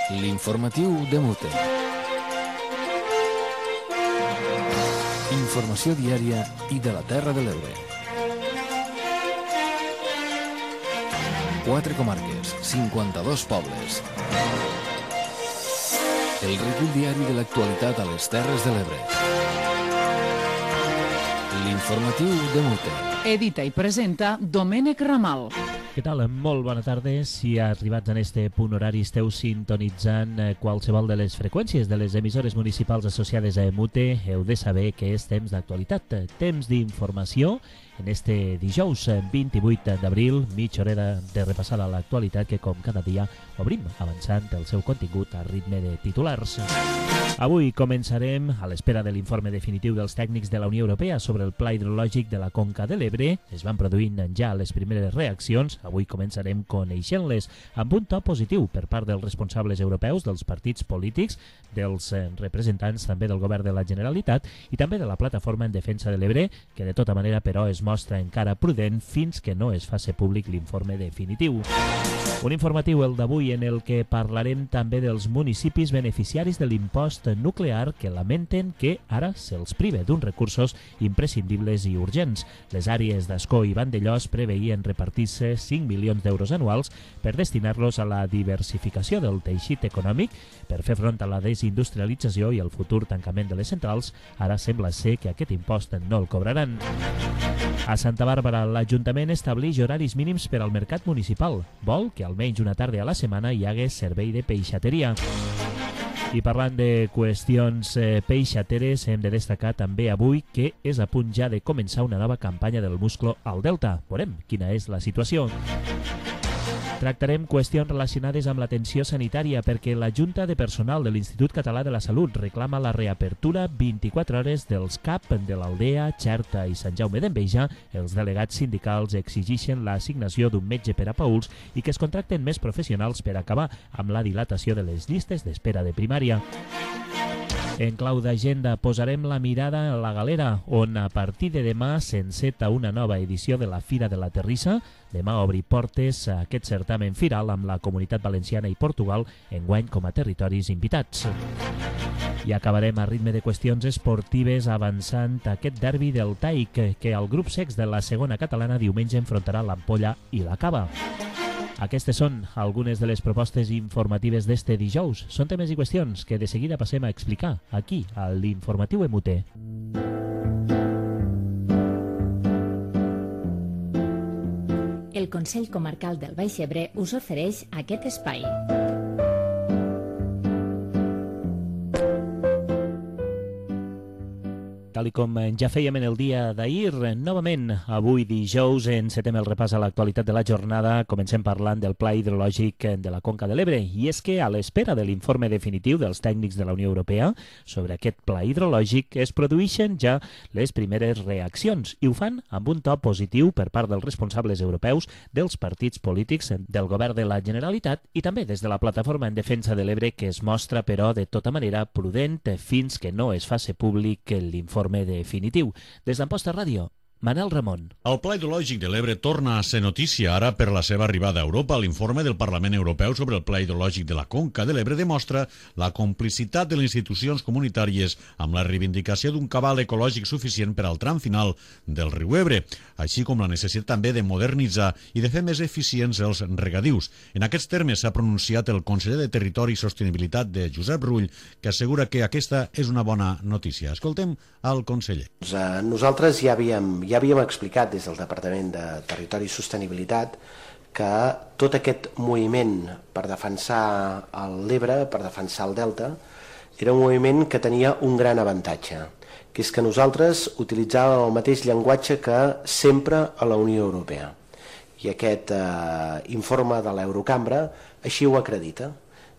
L'informatiu de Mute. Informació diària i de la Terra de l'Ebre. 4 comarques, 52 pobles. El recull diari de l'actualitat a les Terres de l'Ebre. L'informatiu de Mute. Edita i presenta Domènec Ramal. Què tal? Molt bona tarda. Si arribats en este punt horari esteu sintonitzant qualsevol de les freqüències de les emissores municipals associades a Mute, heu de saber que és temps d'actualitat, temps d'informació. En este dijous 28 d'abril, mitja hora de repassar a l'actualitat que, com cada dia, obrim avançant el seu contingut a ritme de titulars. Avui començarem a l'espera de l'informe definitiu dels tècnics de la Unió Europea sobre el pla hidrològic de la Conca de l'Ebre. Es van produint ja les primeres reaccions. Avui començarem coneixent-les amb un to positiu per part dels responsables europeus, dels partits polítics, dels representants també del govern de la Generalitat i també de la plataforma en defensa de l'Ebre, que de tota manera però es mostra encara prudent fins que no es faci públic l'informe definitiu. Un informatiu, el d'avui, en el que parlarem també dels municipis beneficiaris de l'impost nuclear que lamenten que ara se'ls prive d'uns recursos imprescindibles i urgents. Les àrees d'Ascó i Vandellòs preveien repartir-se 5 milions d'euros anuals per destinar-los a la diversificació del teixit econòmic, per fer front a la desindustrialització i el futur tancament de les centrals. Ara sembla ser que aquest impost no el cobraran. A Santa Bàrbara, l'Ajuntament estableix horaris mínims per al mercat municipal. Vol que almenys una tarda a la setmana hi hagués servei de peixateria. I parlant de qüestions peixateres, hem de destacar també avui que és a punt ja de començar una nova campanya del musclo al Delta. Veurem quina és la situació. Tractarem qüestions relacionades amb l'atenció sanitària perquè la Junta de Personal de l'Institut Català de la Salut reclama la reapertura 24 hores dels CAP de l'Aldea, Xerta i Sant Jaume d'Enveja. Els delegats sindicals exigeixen l'assignació d'un metge per a Pauls i que es contracten més professionals per acabar amb la dilatació de les llistes d'espera de primària. En clau d'agenda posarem la mirada a la Galera, on a partir de demà s'enceta una nova edició de la Fira de la Terrissa. Demà obri portes a aquest certamen firal amb la Comunitat Valenciana i Portugal enguany com a territoris invitats. I acabarem a ritme de qüestions esportives avançant aquest derbi del Taic que el grup sex de la segona catalana diumenge enfrontarà l'Ampolla i la Cava. Aquestes són algunes de les propostes informatives d'este dijous. Són temes i qüestions que de seguida passem a explicar aquí, a l'Informatiu MUT. El Consell Comarcal del Baix Ebre us ofereix aquest espai. Tal com ja fèiem en el dia d'ahir, novament avui dijous encetem el repàs a l'actualitat de la jornada. Comencem parlant del pla hidrològic de la Conca de l'Ebre. I és que a l'espera de l'informe definitiu dels tècnics de la Unió Europea sobre aquest pla hidrològic es produeixen ja les primeres reaccions i ho fan amb un to positiu per part dels responsables europeus, dels partits polítics, del govern de la Generalitat i també des de la plataforma en defensa de l'Ebre, que es mostra però de tota manera prudent fins que no es faci públic l'informe definitiu. Des d'Amposta Ràdio, Manel Ramon. El Pla Hidrològic de l'Ebre torna a ser notícia ara per la seva arribada a Europa. L'informe del Parlament Europeu sobre el Pla Hidrològic de la Conca de l'Ebre demostra la complicitat de les institucions comunitàries amb la reivindicació d'un cabal ecològic suficient per al tram final del riu Ebre, així com la necessitat també de modernitzar i de fer més eficients els regadius. En aquests termes s'ha pronunciat el conseller de Territori i Sostenibilitat de Josep Rull, que assegura que aquesta és una bona notícia. Escoltem al conseller. Nosaltres ja havíem explicat des del Departament de Territori i Sostenibilitat que tot aquest moviment per defensar l'Ebre, per defensar el Delta, era un moviment que tenia un gran avantatge, que és que nosaltres utilitzàvem el mateix llenguatge que sempre a la Unió Europea. I aquest informe de l'Eurocambra així ho acredita.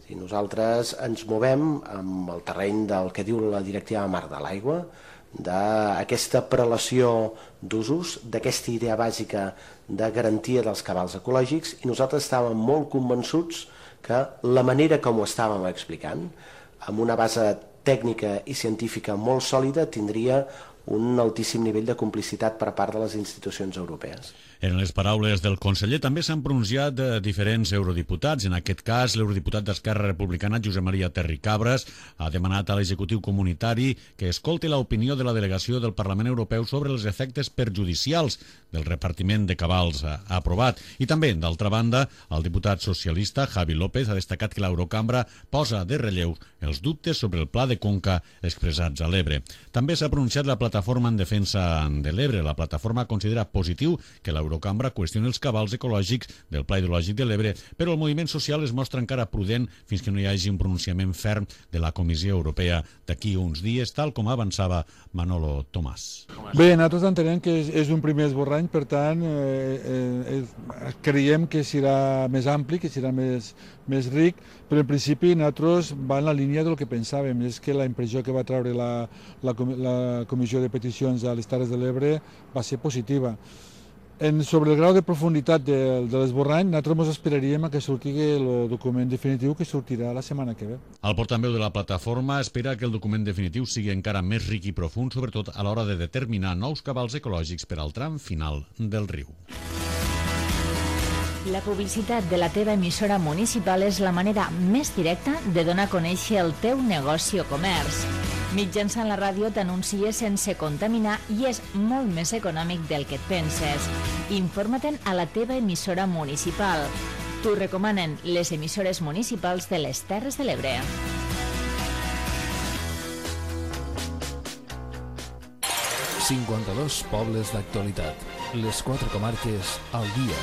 Nosaltres ens movem amb el terreny del que diu la Directiva Marc de l'Aigua, d'aquesta prelació d'usos, d'aquesta idea bàsica de garantia dels cabals ecològics, i nosaltres estàvem molt convençuts que la manera com ho estàvem explicant, amb una base tècnica i científica molt sòlida, tindria un altíssim nivell de complicitat per part de les institucions europees. En les paraules del conseller també s'han pronunciat diferents eurodiputats. En aquest cas, l'eurodiputat d'Esquerra Republicana, Josep Maria Terricabras, ha demanat a l'executiu comunitari que escolti l'opinió de la delegació del Parlament Europeu sobre els efectes perjudicials del repartiment de cabals aprovat. I també, d'altra banda, el diputat socialista Javi López ha destacat que l'Eurocambra posa de relleu els dubtes sobre el pla de conca expressats a l'Ebre. També s'ha pronunciat la plataforma en defensa de l'Ebre. La plataforma considera positiu que l'Eurocambra qüestiona els cabals ecològics del Pla Hidrològic de l'Ebre, però el moviment social es mostra encara prudent fins que no hi hagi un pronunciament ferm de la Comissió Europea d'aquí uns dies, tal com avançava Manolo Tomàs. Bé, nosaltres entenem que és un primer esborrany, per tant, creiem que serà més ampli, que serà més ric, però en principi nosaltres va en la línia del que pensàvem, és que la impressió que va treure la Comissió de Peticions a les Terres de l'Ebre va ser positiva. Sobre el grau de profunditat de l'esborrany, nosaltres ens esperaríem que surti el document definitiu que sortirà la setmana que ve. El portaveu de la plataforma espera que el document definitiu sigui encara més ric i profund, sobretot a l'hora de determinar nous cabals ecològics per al tram final del riu. La publicitat de la teva emissora municipal és la manera més directa de donar a conèixer el teu negoci o comerç. Mitjançant la ràdio t'anuncies sense contaminar i és molt més econòmic del que et penses. Informa-te'n a la teva emissora municipal. T'ho recomanen les emissores municipals de les Terres de l'Ebre. ...52 pobles d'actualitat. Les 4 comarques al dia.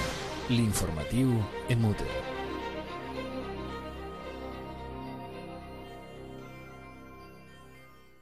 L'informatiu en Mute.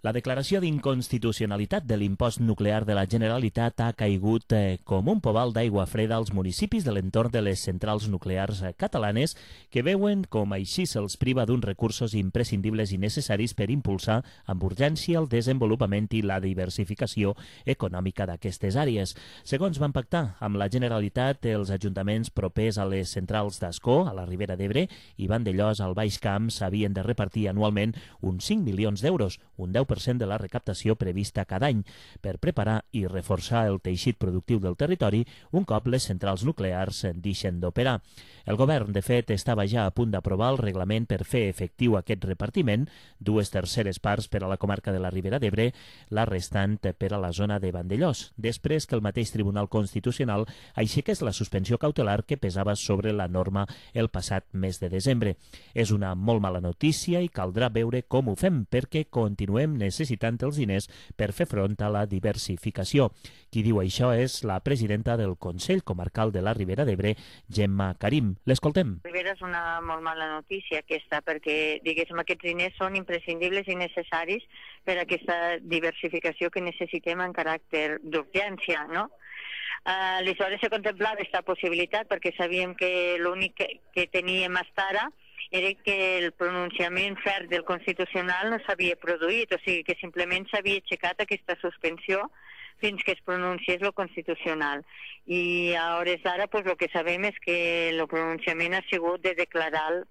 La declaració d'inconstitucionalitat de l'impost nuclear de la Generalitat ha caigut com un pobal d'aigua freda als municipis de l'entorn de les centrals nuclears catalanes que veuen com així se'ls priva d'uns recursos imprescindibles i necessaris per impulsar amb urgència el desenvolupament i la diversificació econòmica d'aquestes àrees. Segons van pactar amb la Generalitat, els ajuntaments propers a les centrals d'Ascó, a la Ribera d'Ebre, i Vandellòs, al Baix Camp, s'havien de repartir anualment uns 5 milions d'euros, un 10% de la recaptació prevista cada any, per preparar i reforçar el teixit productiu del territori un cop les centrals nuclears deixen d'operar. El govern, de fet, estava ja a punt d'aprovar el reglament per fer efectiu aquest repartiment, 2/3 parts per a la comarca de la Ribera d'Ebre, la restant per a la zona de Vandellòs, després que el mateix Tribunal Constitucional aixequés la suspensió cautelar que pesava sobre la norma el passat mes de desembre. És una molt mala notícia i caldrà veure com ho fem, perquè continuem necessitant els diners per fer front a la diversificació. Qui diu això és la presidenta del Consell Comarcal de la Ribera d'Ebre, Gemma Karim. L'escoltem. Ribera és una molt mala notícia aquesta, perquè diguéssim aquests diners són imprescindibles i necessaris per a aquesta diversificació que necessitem en caràcter d'urgència, no? Aleshores se contemplava aquesta possibilitat perquè sabíem que l'únic que teníem fins ara era que el pronunciament ferm del Constitucional no s'havia produït, o sigui que simplement s'havia aixecat aquesta suspensió fins que es pronunciés el Constitucional. I a hores d'ara el que sabem és que el pronunciament ha sigut de declarar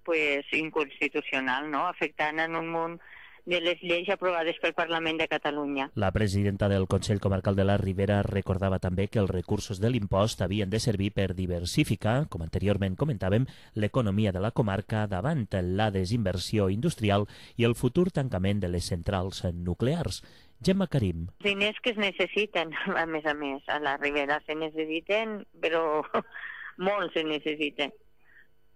inconstitucional, no? Afectant en un munt de les lleis aprovades pel Parlament de Catalunya. La presidenta del Consell Comarcal de la Ribera recordava també que els recursos de l'impost havien de servir per diversificar, com anteriorment comentàvem, l'economia de la comarca davant la desinversió industrial i el futur tancament de les centrals nuclears. Gemma Karim. Diners que es necessiten, a més, a la Ribera se necessiten, però molt se necessiten.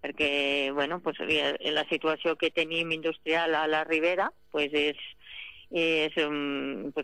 Perquè, bueno, pues, la situació que tenim industrial a la Ribera pues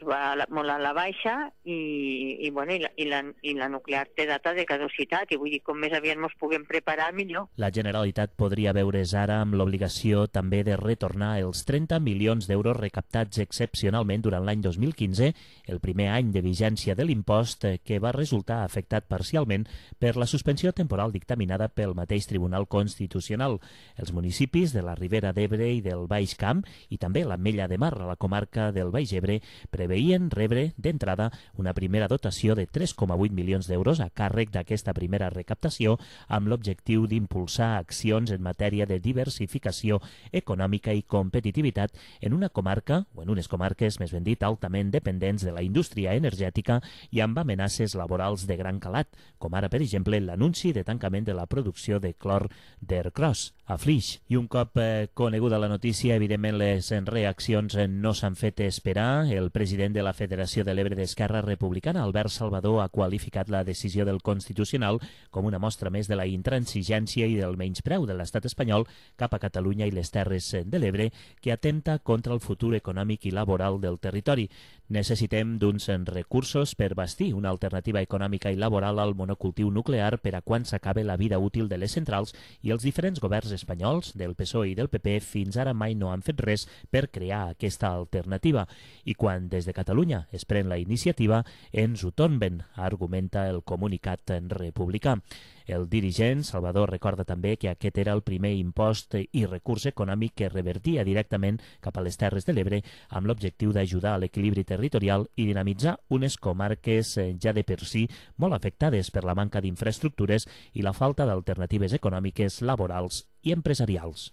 va molt a la baixa i la nuclear té data de caducitat i vull dir, com més aviat ens puguem preparar, millor. La Generalitat podria veure's ara amb l'obligació també de retornar els 30 milions d'euros recaptats excepcionalment durant l'any 2015, el primer any de vigència de l'impost que va resultar afectat parcialment per la suspensió temporal dictaminada pel mateix Tribunal Constitucional. Els municipis de la Ribera d'Ebre i del Baix Camp i també l'Ametlla de Mar, a la comarca comarca del Baix Ebre preveien rebre d'entrada una primera dotació de 3,8 milions d'euros a càrrec d'aquesta primera recaptació amb l'objectiu d'impulsar accions en matèria de diversificació econòmica i competitivitat en una comarca, o en unes comarques, més ben dit, altament dependents de la indústria energètica i amb amenaces laborals de gran calat, com ara, per exemple, l'anunci de tancament de la producció de clor d'Ercros a Flix. I un cop coneguda la notícia, evidentment les reaccions no s'han fet esperar. El president de la Federació de l'Ebre d'Esquerra Republicana, Albert Salvador, ha qualificat la decisió del Constitucional com una mostra més de la intransigència i del menyspreu de l'estat espanyol cap a Catalunya i les Terres de l'Ebre, que atempta contra el futur econòmic i laboral del territori. Necessitem d'uns recursos per bastir una alternativa econòmica i laboral al monocultiu nuclear per a quan s'acabe la vida útil de les centrals, i els diferents governs espanyols, del PSOE i del PP, fins ara mai no han fet res per crear aquesta alternativa. I quan des de Catalunya es pren la iniciativa, ens ho tomben, argumenta el comunicat republicà. El dirigent, Salvador, recorda també que aquest era el primer impost i recurs econòmic que revertia directament cap a les Terres de l'Ebre amb l'objectiu d'ajudar a l'equilibri territorial i dinamitzar unes comarques ja de per si molt afectades per la manca d'infraestructures i la falta d'alternatives econòmiques, laborals i empresarials.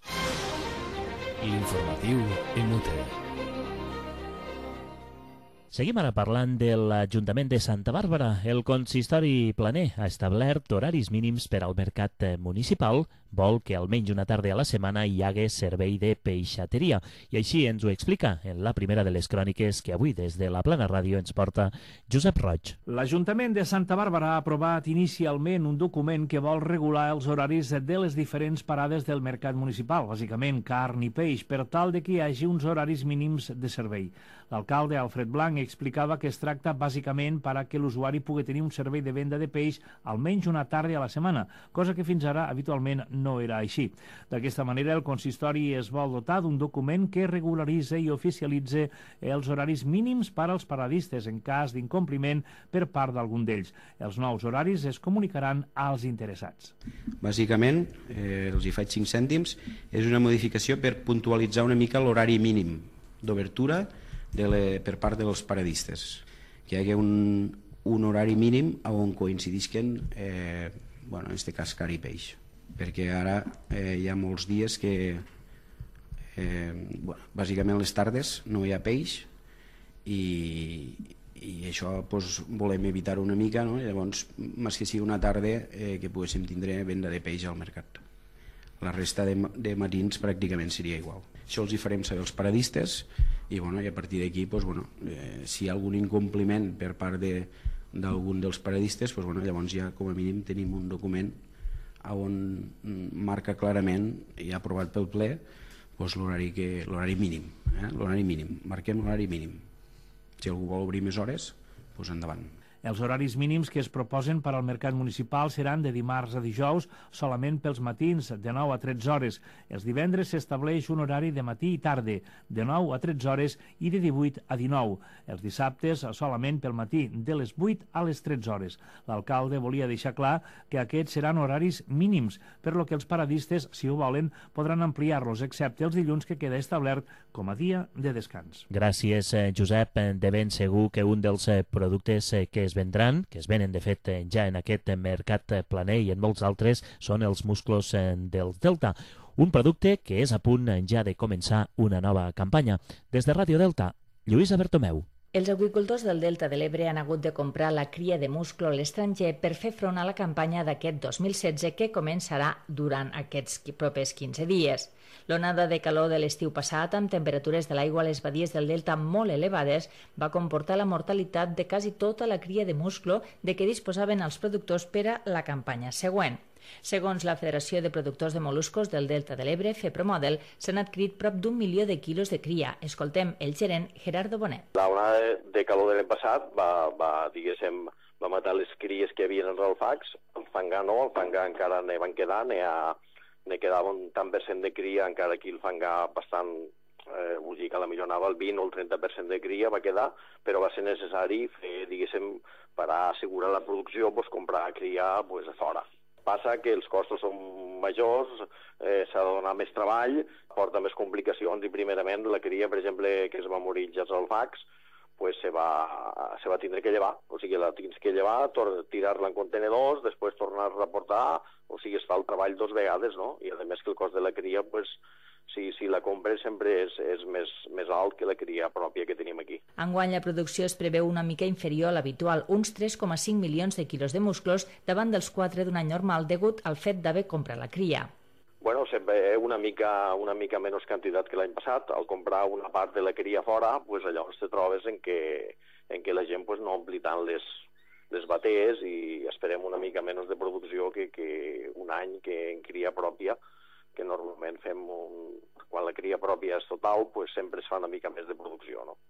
L'informatiu en UT. Seguim ara parlant de l'Ajuntament de Santa Bàrbara. El consistori planer ha establert horaris mínims per al mercat municipal. Vol que almenys una tarda a la setmana hi hagués servei de peixateria. I així ens ho explica en la primera de les cròniques que avui des de la Plana Ràdio ens porta Josep Roig. L'Ajuntament de Santa Bàrbara ha aprovat inicialment un document que vol regular els horaris de les diferents parades del mercat municipal, bàsicament carn i peix, per tal de que hi hagi uns horaris mínims de servei. L'alcalde Alfred Blanc explicava que es tracta bàsicament per a que l'usuari pugui tenir un servei de venda de peix almenys una tarda a la setmana, cosa que fins ara habitualment no era així. D'aquesta manera, el consistori es vol dotar d'un document que regularitza i oficialitza els horaris mínims per als paradistes en cas d'incompliment per part d'algun d'ells. Els nous horaris es comunicaran als interessats. Bàsicament, els hi faig 5 cèntims, és una modificació per puntualitzar una mica l'horari mínim d'obertura per part dels paradistes, que hi hagi un horari mínim on coincidisquen, en aquest cas, car i peix, perquè ara hi ha molts dies que bàsicament les tardes no hi ha peix i això volem evitar una mica, no? Llavors, més que sigui una tarda que poguéssim tindre venda de peix al mercat. La resta de matins pràcticament seria igual. Això els hi farem saber als paradistes i a partir d'aquí, si hi ha algun incompliment per part d'algun dels paradistes, llavors ja com a mínim tenim un document on marca clarament, i aprovat pel ple, l'horari mínim. L'horari mínim. Marquem l'horari mínim. Si algú vol obrir més hores, endavant. Els horaris mínims que es proposen per al mercat municipal seran de dimarts a dijous solament pels matins, de 9 a 13 hores. Els divendres s'estableix un horari de matí i tarda, de 9 a 13 hores i de 18 a 19. Els dissabtes solament pel matí, de les 8 a les 13 hores. L'alcalde volia deixar clar que aquests seran horaris mínims, per lo que els paradistes, si ho volen, podran ampliar-los, excepte els dilluns que queda establert com a dia de descans. Gràcies, Josep. De ben segur que un dels productes que es vendran, que es venen de fet ja en aquest mercat planer i en molts altres, són els musclos del Delta. Un producte que és a punt ja de començar una nova campanya. Des de Ràdio Delta, Lluïsa Bertomeu. Els aqüicultors del Delta de l'Ebre han hagut de comprar la cria de musclo a l'estranger per fer front a la campanya d'aquest 2016 que començarà durant aquests propers 15 dies. L'onada de calor de l'estiu passat, amb temperatures de l'aigua a les badies del Delta molt elevades, va comportar la mortalitat de quasi tota la cria de musclo de què disposaven els productors per a la campanya següent. Segons la Federació de Productors de Moluscos del Delta de l'Ebre, FEPROMODEL, s'han adquirit prop d'1 milió de quilos de cria. Escoltem el gerent Gerardo Bonet. La onada de calor de l'any passat va matar les cries que hi havia als alfacs. El fangar no, el fangar encara ne van quedar, ne quedava un tant per cent de cria, encara aquí el fangar bastant, vull dir que potser anava el 20 o el 30% de cria va quedar, però va ser necessari fer, per assegurar la producció, comprar cria a fora. Passa que els costos són majors, s'ha de donar més treball, porta més complicacions i primerament la cria, per exemple, que es va morir als alfacs, pues se va tindre que llevar. O sigui, la tens que llevar, tirar-la en contenedors, després tornar-la a portar, o sigui, es fa el treball 2 vegades, no? I a més que el cost de la cria, pues, si la compres sempre és més alt que la cria pròpia que tenim aquí. Enguany la producció es preveu una mica inferior a l'habitual, uns 3,5 milions de quilos de musclos davant dels 4 d'un any normal degut al fet d'haver comprat la cria. Bueno, sempre una mica menys quantitat que l'any passat. Al comprar una part de la cria fora, pues llavors te trobes en que la gent pues, no ompli tant les batees i esperem una mica menys de producció que un any que en cria pròpia, que normalment fem quan la cria pròpia és total, pues sempre es fa una mica més de producció, no?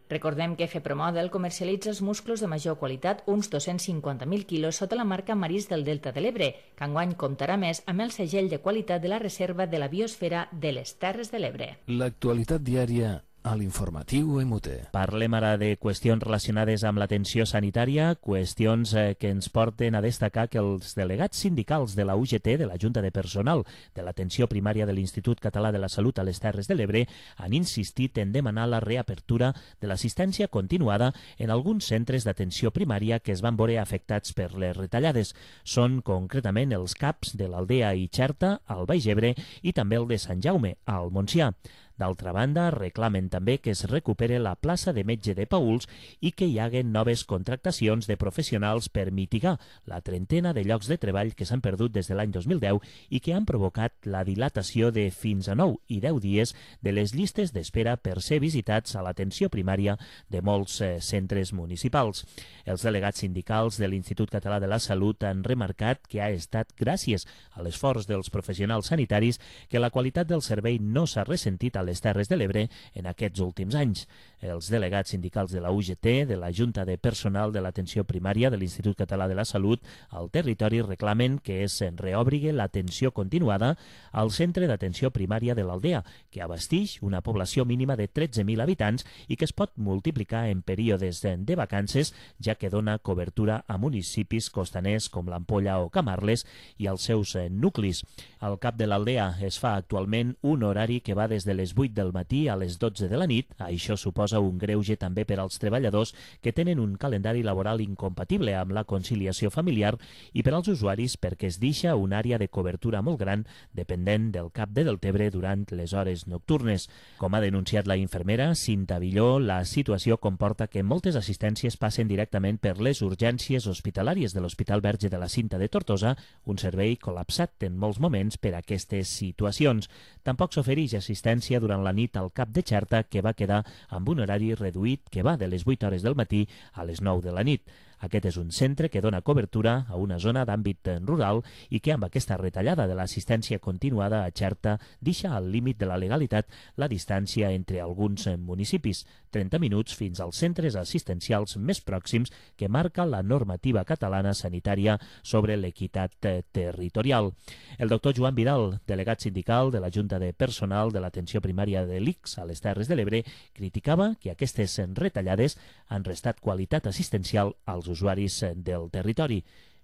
Recordem que FEPROMODEL comercialitza els musclos de major qualitat, uns 250.000 quilos, sota la marca Marís del Delta de l'Ebre, que enguany comptarà més amb el segell de qualitat de la Reserva de la Biosfera de les Terres de l'Ebre. L'actualitat diària a l'informatiu MUT. Parlem ara de qüestions relacionades amb l'atenció sanitària, qüestions que ens porten a destacar que els delegats sindicals de la UGT, de la Junta de Personal de l'Atenció Primària de l'Institut Català de la Salut a les Terres de l'Ebre, han insistit en demanar la reapertura de l'assistència continuada en alguns centres d'atenció primària que es van veure afectats per les retallades. Són concretament els CAPs de l'Aldea i Xerta, al Baix Ebre, i també el de Sant Jaume, al Montsià. D'altra banda, reclamen també que es recupere la plaça de metge de Paüls i que hi haguen noves contractacions de professionals per mitigar la trentena de llocs de treball que s'han perdut des de l'any 2010 i que han provocat la dilatació de fins a 9 i 10 dies de les llistes d'espera per ser visitats a l'atenció primària de molts centres municipals. Els delegats sindicals de l'Institut Català de la Salut han remarcat que ha estat gràcies a l'esforç dels professionals sanitaris que la qualitat del servei no s'ha ressentit a les Terres de l'Ebre en aquests últims anys. Els delegats sindicals de la UGT, de la Junta de Personal de l'Atenció Primària de l'Institut Català de la Salut al territori reclamen que es reobrigui l'atenció continuada al Centre d'Atenció Primària de l'Aldea, que abasteix una població mínima de 13.000 habitants i que es pot multiplicar en períodes de vacances, ja que dona cobertura a municipis costaners com l'Ampolla o Camarles i als seus nuclis. Al cap de l'Aldea es fa actualment un horari que va des de les 8 del matí a les 12 de la nit. Això suposa un greuge també per als treballadors que tenen un calendari laboral incompatible amb la conciliació familiar i per als usuaris perquè es deixa una àrea de cobertura molt gran dependent del cap de Deltebre durant les hores nocturnes. Com ha denunciat la infermera Cinta Villó, la situació comporta que moltes assistències passen directament per les urgències hospitalàries de l'Hospital Verge de la Cinta de Tortosa, un servei col·lapsat en molts moments per aquestes situacions. Tampoc s'ofereix assistència durant la nit al cap de Xerta, que va quedar amb un horari reduït que va de les 8 hores del matí a les 9 de la nit. Aquest és un centre que dona cobertura a una zona d'àmbit rural i que amb aquesta retallada de l'assistència continuada a Xerta deixa al límit de la legalitat la distància entre alguns municipis, 30 minuts fins als centres assistencials més pròxims que marca la normativa catalana sanitària sobre l'equitat territorial. El doctor Joan Vidal, delegat sindical de la Junta de Personal de l'Atenció Primària de l'ICS a les Terres de l'Ebre, criticava que aquestes retallades han restat qualitat assistencial als usuaris del territori.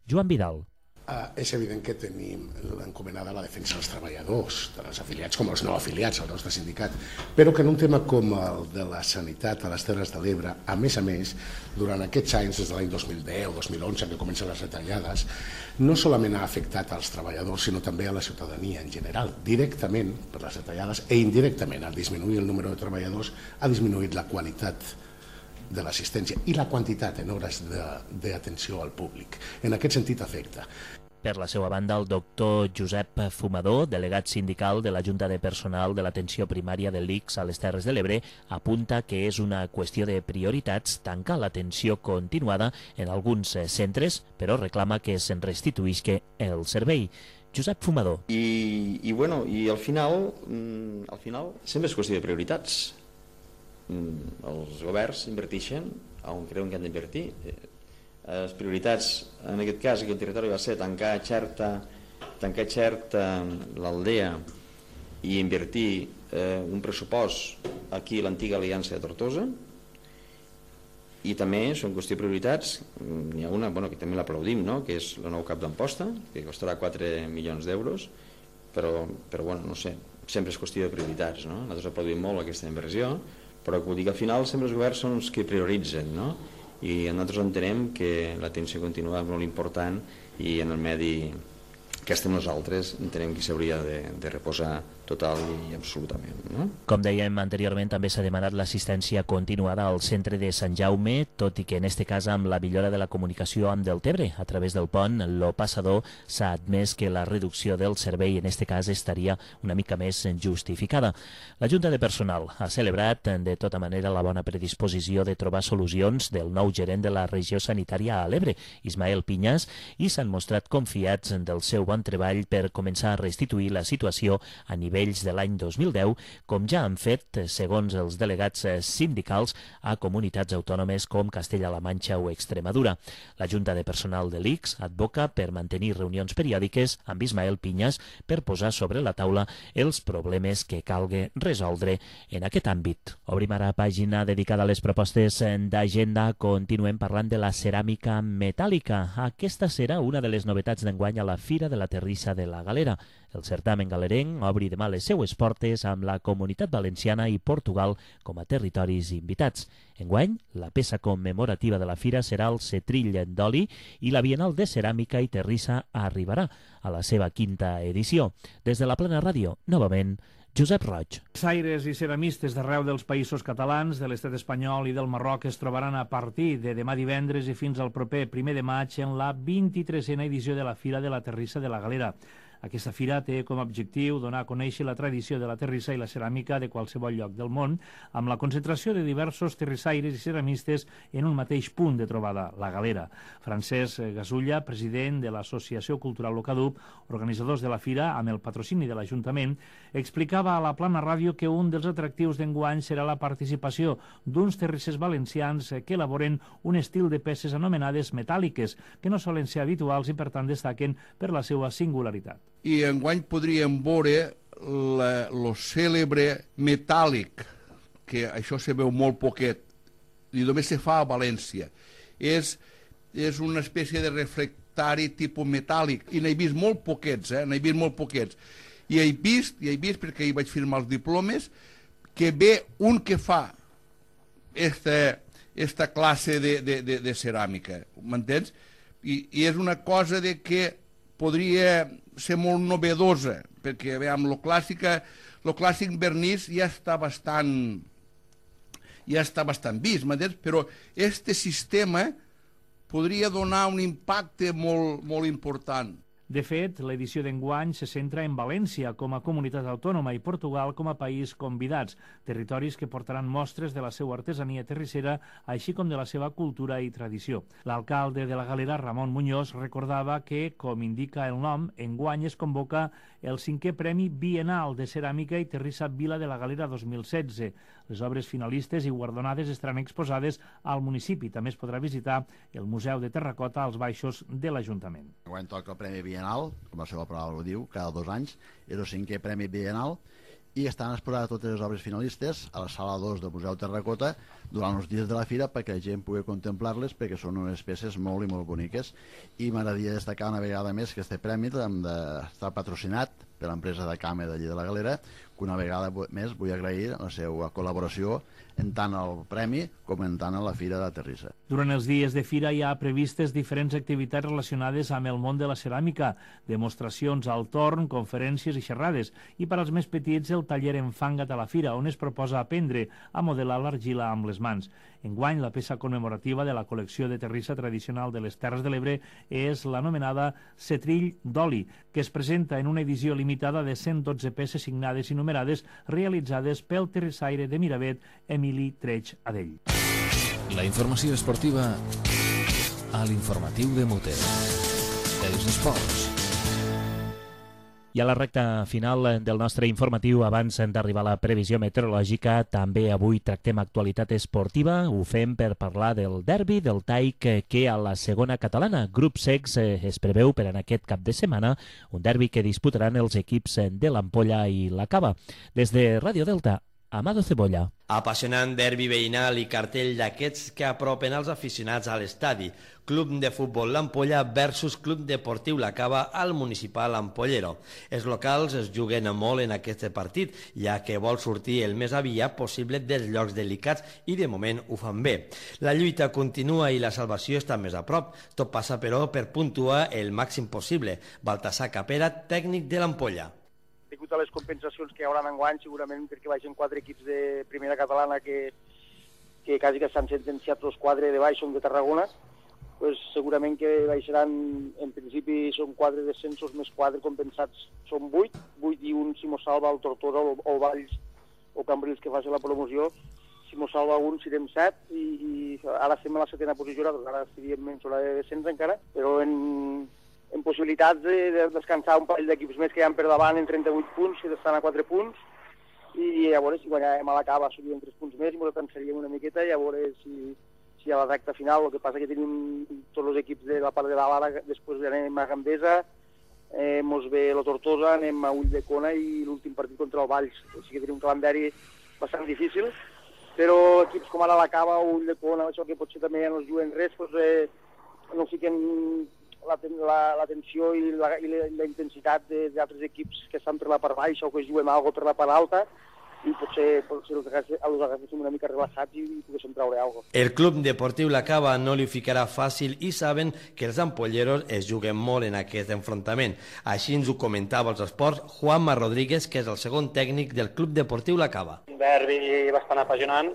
Joan Vidal. És evident que tenim encomanada la defensa dels treballadors, tant els afiliats com els no afiliats al nostre sindicat, però que en un tema com el de la sanitat a les Terres de l'Ebre, a més, durant aquests anys, des de l'any 2010-2011, que comencen les retallades, no solament ha afectat als treballadors, sinó també a la ciutadania en general. Directament, per les retallades, i indirectament, al disminuir el número de treballadors, ha disminuït la qualitat de l'assistència i la quantitat en hores d'atenció al públic. En aquest sentit afecta. Per la seva banda, el doctor Josep Fumador, delegat sindical de la Junta de Personal de l'Atenció Primària de l'ICS a les Terres de l'Ebre, apunta que és una qüestió de prioritats tancar l'atenció continuada en alguns centres, però reclama que se'n restituïsca el servei. Josep Fumador. I al final sempre és qüestió de prioritats. Els governs inverteixen on creuen que han d'invertir. Les prioritats, en aquest cas, aquí al territori va ser tancar Xerta, l'Aldea, i invertir un pressupost aquí a l'antiga Aliança de Tortosa, I també són qüestió de prioritats. N'hi ha una que també l'aplaudim, no? Que és el nou cap d'Amposta, que costarà 4 milions d'euros, però no sé, sempre és qüestió de prioritats, no? Nosaltres aplaudim molt aquesta inversió, però vull dir que al final sempre els governs són els que prioritzen, no? I nosaltres entenem que l'atenció continua és molt important i en el medi que estem nosaltres entenem que s'hauria de reposar total i absolutament. No? Com dèiem anteriorment, també s'ha demanat l'assistència continuada al centre de Sant Jaume, tot i que en este cas amb la millora de la comunicació amb Deltebre a través del pont, lo passador, s'ha admès que la reducció del servei en este cas estaria una mica més justificada. La Junta de Personal ha celebrat de tota manera la bona predisposició de trobar solucions del nou gerent de la regió sanitària a l'Ebre, Ismael Pinyas, i s'han mostrat confiats del seu bon treball per començar a restituir la situació a nivells de l'any 2010, com ja han fet, segons els delegats sindicals, a comunitats autònomes com Castella-La Manxa o Extremadura. La Junta de Personal de l'ICS advoca per mantenir reunions periòdiques amb Ismael Pinyas per posar sobre la taula els problemes que calgui resoldre en aquest àmbit. Obrim ara pàgina dedicada a les propostes d'agenda. Continuem parlant de la ceràmica metàl·lica. Aquesta serà una de les novetats d'enguany a la Fira de la Terrissa de la Galera. El certamen galerenc obri demà les seues portes amb la Comunitat Valenciana i Portugal com a territoris invitats. Enguany, la peça commemorativa de la fira serà el Setrill d'oli i la Bienal de Ceràmica i Terrissa arribarà a la seva 5ª edició. Des de la Plana Ràdio, novament, Josep Roig. Saires i ceramistes d'arreu dels països catalans, de l'estat espanyol i del Marroc es trobaran a partir de demà divendres i fins al proper 1 de maig en la 23a edició de la Fira de la Terrissa de la Galera. Aquesta fira té com a objectiu donar a conèixer la tradició de la terrissa i la ceràmica de qualsevol lloc del món, amb la concentració de diversos terrissaires i ceramistes en un mateix punt de trobada, la Galera. Francesc Gasulla, president de l'Associació Cultural Locadup, organitzadors de la fira, amb el patrocini de l'Ajuntament, explicava a la Plana Ràdio que un dels atractius d'enguany serà la participació d'uns terrissers valencians que elaboren un estil de peces anomenades metàl·liques, que no solen ser habituals i per tant destaquen per la seva singularitat. I enguany podríem veure el cèlebre metàl·lic, que això se veu molt poquet, i només se fa a València. És una espècie de reflectari tipus metàl·lic, i n'he vist molt poquets, n'he vist molt poquets. I he vist, perquè hi vaig firmar els diplomes, que ve un que fa esta classe de ceràmica, m'entens? I és una cosa de que podria ser molt novedosa, perquè veiem, lo clàssic vernís ja està bastant vist, m'entens? Però este sistema podria donar un impacte molt important. De fet, l'edició d'enguany se centra en València com a comunitat autònoma i Portugal com a país convidats, territoris que portaran mostres de la seva artesania terrissera, així com de la seva cultura i tradició. L'alcalde de la Galera, Ramon Muñoz, recordava que, com indica el nom, enguany es convoca el 5è Premi Bienal de Ceràmica i Terrissa Vila de la Galera 2016. Les obres finalistes i guardonades estaran exposades al municipi. També es podrà visitar el Museu de Terracota als baixos de l'Ajuntament. Enguany toca el Premi Bienal, com la seva paraula ho diu, cada 2 anys, és el 5è Premi Bienal, i estan exposades totes les obres finalistes a la sala 2 del Museu Terracota durant els dies de la fira perquè la gent pugui contemplar-les, perquè són unes peces molt i molt boniques. I m'agradaria destacar una vegada més que aquest premi està patrocinat per l'empresa de Came d'allí de la Galera, que una vegada més vull agrair la seva col·laboració en tant al premi com en tant a la Fira de la Terrissa. Durant els dies de fira hi ha previstes diferents activitats relacionades amb el món de la ceràmica, demostracions al torn, conferències i xerrades, i per als més petits el taller Enfanga't a la Fira, on es proposa aprendre a modelar l'argila amb les mans. Enguany, la peça commemorativa de la col·lecció de terrissa tradicional de les Terres de l'Ebre és l'anomenada Setrill d'oli, que es presenta en una edició limitada de 112 peces signades i numerades realitzades pel terrissaire de Miravet, Emili Treig Adell. La informació esportiva a l'informatiu de Mute. Els esports. I a la recta final del nostre informatiu, abans d'arribar a la previsió meteorològica, també avui tractem actualitat esportiva. Ho fem per parlar del derbi del Taic que a la segona catalana, Grup Secs, es preveu per en aquest cap de setmana, un derbi que disputaran els equips de l'Ampolla i la Cava. Des de Ràdio Delta, Amado Cebolla. Apassionant derbi veïnal i cartell d'aquests que apropen els aficionats a l'estadi. Club de futbol l'Ampolla versus Club Deportiu La Cava al municipal Ampollero. Els locals es juguen molt en aquest partit, ja que vol sortir el més aviat possible dels llocs delicats i de moment ho fan bé. La lluita continua i la salvació està més a prop. Tot passa, però, per puntuar el màxim possible. Baltasar Capera, tècnic de l'Ampolla. Degut a les compensacions que hi haurà enguany, segurament perquè baixen 4 equips de primera catalana que quasi que s'han sentenciat els 4 de baix, són de Tarragona, pues segurament que baixaran, en principi són 4 descensos més 4 compensats, són 8 i un si mos salva el Tortosa o Valls o Cambrils que faci la promoció. Si mos salva un serem 7 i ara estem a la 7a posició, ara estaríem en zona de descens encara, però en possibilitats de descansar un parell d'equips més que hi ha per davant en 38 punts, que estan a 4 punts, i llavors si guanyàvem a la Cava subíem 3 punts més i ens atensaríem una miqueta i a veure si a la recta final. El que passa que tenim tots els equips de la part de dalt ara, després anem a Gandesa, mos ve la Tortosa, anem a Ulldecona i l'últim partit contra el Valls. Així que tenim un calendari bastant difícil, però equips com ara la Cava o Ulldecona, això que potser també no es juguen res, no fiquen la tensió i la intensitat d'altres equips que estan per la part baixa o que juguen alguna per la part alta, i potser els agaféssim una mica relaxats i poguéssim treure alguna cosa. El Club Deportiu La Cava no li ficarà fàcil i saben que els ampolleros es juguen molt en aquest enfrontament. Així ens ho comentava als esports Juanma Rodríguez, que és el segon tècnic del Club Deportiu La Cava. Un derbi bastant apassionant,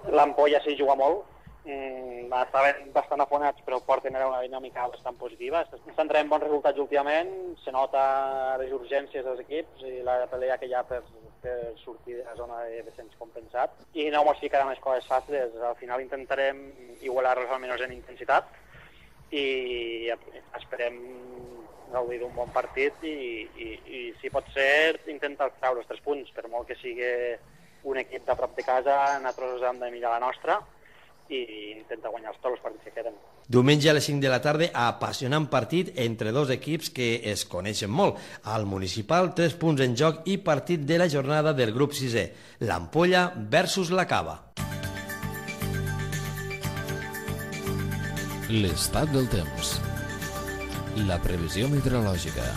l'Ampolla s'hi juga molt, estaven bastant afonats però porten una dinàmica bastant positiva. Estan traient bons resultats últimament, se nota les urgències dels equips i la pelea que hi ha per sortir de la zona de descens compensat, i no ens ficaran les coses fàcils. Al final intentarem igualar-los almenys en intensitat i esperem gaudir d'un bon partit i si pot ser intentar treure els 3 punts, per molt que sigui un equip de prop de casa, nosaltres hem de mirar la nostra i intentar guanyar tots els partits que queden. Diumenge a les 5 de la tarda, apassionant partit entre dos equips que es coneixen molt. Al municipal, 3 punts en joc i partit de la jornada del grup 6è, l'Ampolla versus la Cava. L'estat del temps. La previsió meteorològica.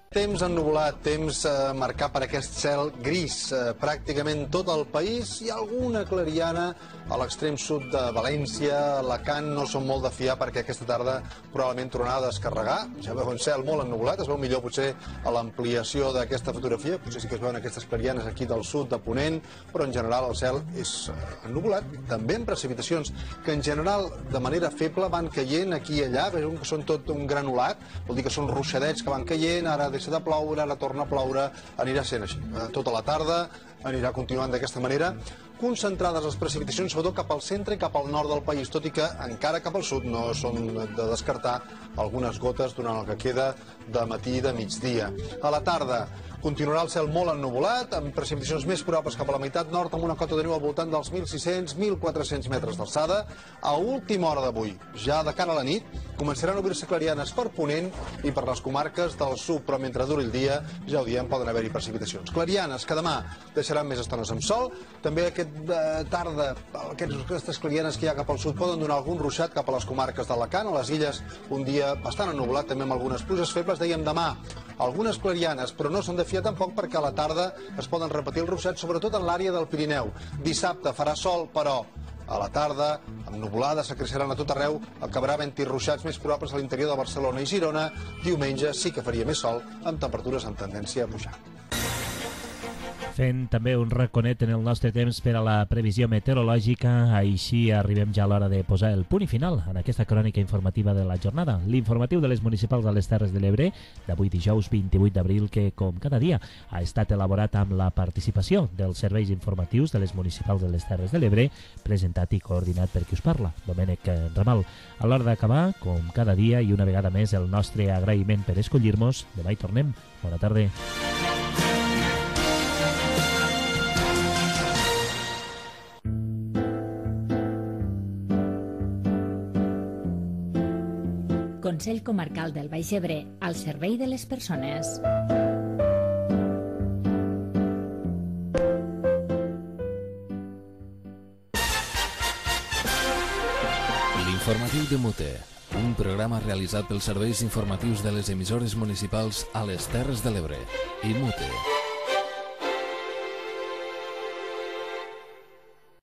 Temps ennuvolat, temps marcat per aquest cel gris. Pràcticament tot el país. Hi ha alguna clariana a l'extrem sud de València. Alacant no són molt de fiar perquè aquesta tarda probablement tornarà a descarregar. Ja veu un cel molt ennuvolat, es veu millor potser a l'ampliació d'aquesta fotografia. Potser sí que es veuen aquestes clarianes aquí del sud, de Ponent, però en general el cel és ennuvolat. També amb precipitacions que en general de manera feble van caient aquí i allà. Veu que són tot un granulat, vol dir que són ruixadets que van caient, ara deixa de ploure, ara torna a ploure, anirà sent així. Tota la tarda anirà continuant d'aquesta manera, concentrades les precipitacions sobretot cap al centre i cap al nord del país, tot i que encara cap al sud no són de descartar algunes gotes durant el que queda de matí i de migdia. A la tarda continuarà el cel molt ennuvolat, amb precipitacions més probables cap a la meitat nord, amb una cota de neu al voltant dels 1.600-1.400 metres d'alçada. A última hora d'avui, ja de cara a la nit, començaran a obrir-se clarianes per Ponent i per les comarques del sud, però mentre duri el dia, ja ho diem, poden haver-hi precipitacions. Clarianes que demà deixaran més estones amb sol, també aquesta tarda aquestes clarianes que hi ha cap al sud poden donar algun ruixat cap a les comarques d'Alacant, a les illes un dia bastant ennuvolat, també amb algunes pluges febles. Dèiem demà algunes clarianes, però no s'han de fiar tampoc perquè a la tarda es poden repetir els ruixats, sobretot en l'àrea del Pirineu. Dissabte farà sol, però a la tarda, amb nuvolades, s'acreixeran a tot arreu, acabarà havent-hi ruixats més probables a l'interior de Barcelona i Girona. Diumenge sí que faria més sol, amb temperatures amb tendència a pujar. Fent també un raconet en el nostre temps per a la previsió meteorològica, així arribem ja a l'hora de posar el punt i final en aquesta crònica informativa de la jornada. L'informatiu de les municipals de les Terres de l'Ebre, d'avui dijous 28 d'abril, que com cada dia ha estat elaborat amb la participació dels serveis informatius de les municipals de les Terres de l'Ebre, presentat i coordinat per qui us parla, Domènec Ramal. A l'hora d'acabar, com cada dia i una vegada més, el nostre agraïment per escollir-nos. Demà hi tornem. Bona tarda. Consell Comarcal del Baix Ebre, al servei de les persones. L'informatiu de Mute, un programa realitzat pels serveis informatius de les emissores municipals a les Terres de l'Ebre i Mute.